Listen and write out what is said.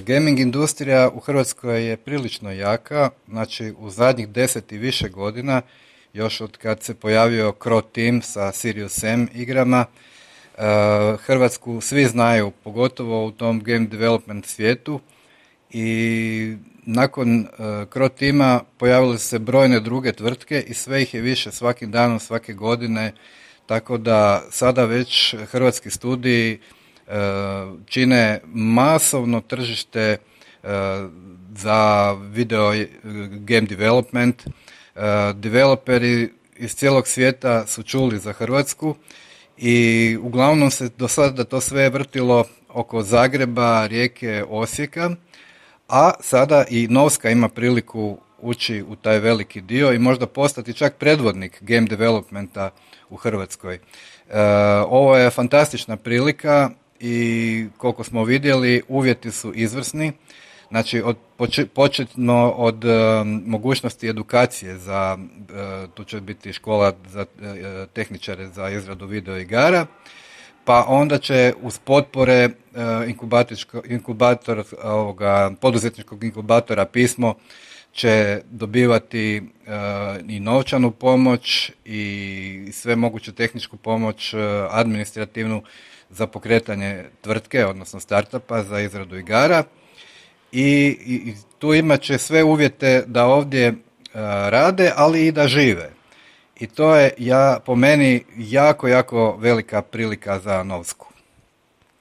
Gaming industrija u Hrvatskoj je prilično jaka, znači u zadnjih 10 i više godina, još od kad se pojavio Crow Team sa Serious M igrama, Hrvatsku svi znaju, pogotovo u tom game development svijetu, i nakon Crow Teama pojavile su se brojne druge tvrtke i sve ih je više svakim danom, svake godine, tako da sada već hrvatski studiji čine masovno tržište za video game development. Developeri iz cijelog svijeta su čuli za Hrvatsku i uglavnom se do sada to sve vrtilo oko Zagreba, Rijeke, Osijeka, a sada i Novska ima priliku ući u taj veliki dio i možda postati čak predvodnik game developmenta u Hrvatskoj. Ovo je fantastična prilika i koliko smo vidjeli uvjeti su izvrsni. Znači početno od mogućnosti edukacije za, tu će biti škola za tehničare za izradu video igara, pa onda će uz potpore poduzetničkog inkubatora Pismo će dobivati i novčanu pomoć i sve moguću tehničku pomoć, administrativnu za pokretanje tvrtke, odnosno startupa za izradu igara. I tu imat će sve uvjete da ovdje rade, ali i da žive. I to je po meni jako, jako velika prilika za Novsku.